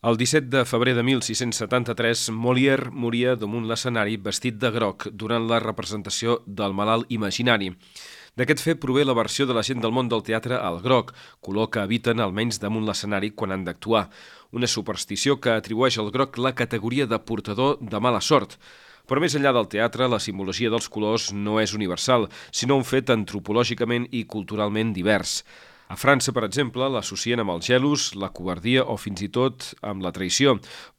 El 17 de febrer de 1673, Molière moria damunt l'escenari vestit de groc durant la representació del Malalt Imaginari. D'aquest fet prové la versió de la gent del món del teatre al groc, color que eviten almenys damunt l'escenari quan han d'actuar. Una superstició que atribueix al groc la categoria de portador de mala sort. Però més enllà del teatre, la simbologia dels colors no és universal, sinó un fet antropològicament i culturalment divers. A França, per exemple, l'associen amb els gelos, la covardia o fins i tot amb la traïció,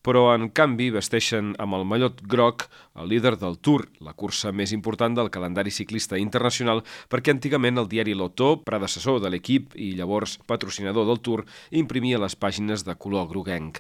però en canvi vesteixen amb el mallot groc el líder del Tour, la cursa més important del calendari ciclista internacional, perquè antigament el diari L'Auto, predecessor de l'Equipe i llavors patrocinador del Tour, imprimia les pàgines de color groguenc.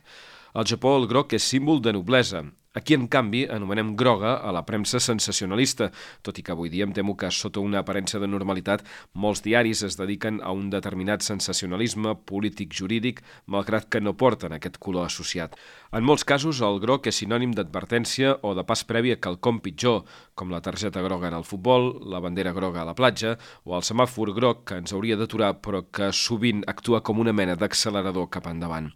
Al Japó el groc és símbol de noblesa. Aquí, en canvi, anomenem groga a la premsa sensacionalista, tot i que avui dia em temo que, sota una aparença de normalitat, molts diaris es dediquen a un determinat sensacionalisme polític-jurídic, malgrat que no porten aquest color associat. En molts casos, el groc és sinònim d'advertència o de pas previ a quelcom pitjor, com la targeta groga en el futbol, la bandera groga a la platja o el semàfor groc que ens hauria d'aturar però que sovint actua com una mena d'accelerador cap endavant.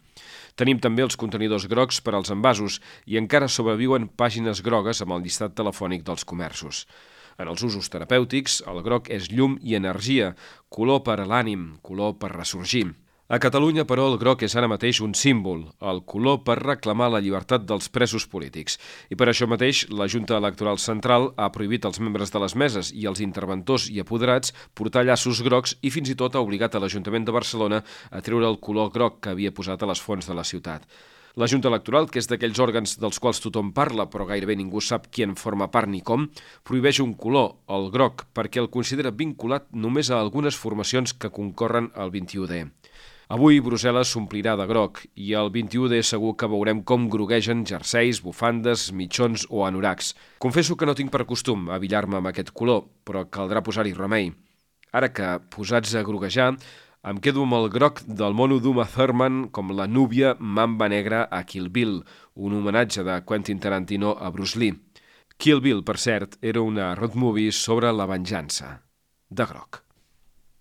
Tenim també els contenidors grocs per als envasos i encara sobreviuen pàgines grogues amb el llistat telefònic dels comerços. En els usos terapèutics, el groc és llum i energia, color per a l'ànim, color per ressorgir. A Catalunya, però, el groc és ara mateix un símbol, el color per reclamar la llibertat dels presos polítics. I per això mateix, la Junta Electoral Central ha prohibit als membres de les meses i als interventors i apoderats portar llaços grocs i fins i tot ha obligat a l'Ajuntament de Barcelona a treure el color groc que havia posat a les fonts de la ciutat. La Junta Electoral, que és d'aquells òrgans dels quals tothom parla, però gairebé ningú sap qui en forma part ni com, prohibeix un color, el groc, perquè el considera vinculat només a algunes formacions que concorren al 21D. Avui Brussel·les s'omplirà de groc i el 21D segur que veurem com groguegen jerseis, bufandes, mitjons o anoracs. Confesso que no tinc per costum abillar-me amb aquest color, però caldrà posar-hi remei. Ara que, posats a groguejar, em quedo amb el groc del mono d'Uma Thurman com la núvia mamba negra a Kill Bill, un homenatge de Quentin Tarantino a Bruce Lee. Kill Bill, per cert, era una road movie sobre la venjança, de groc.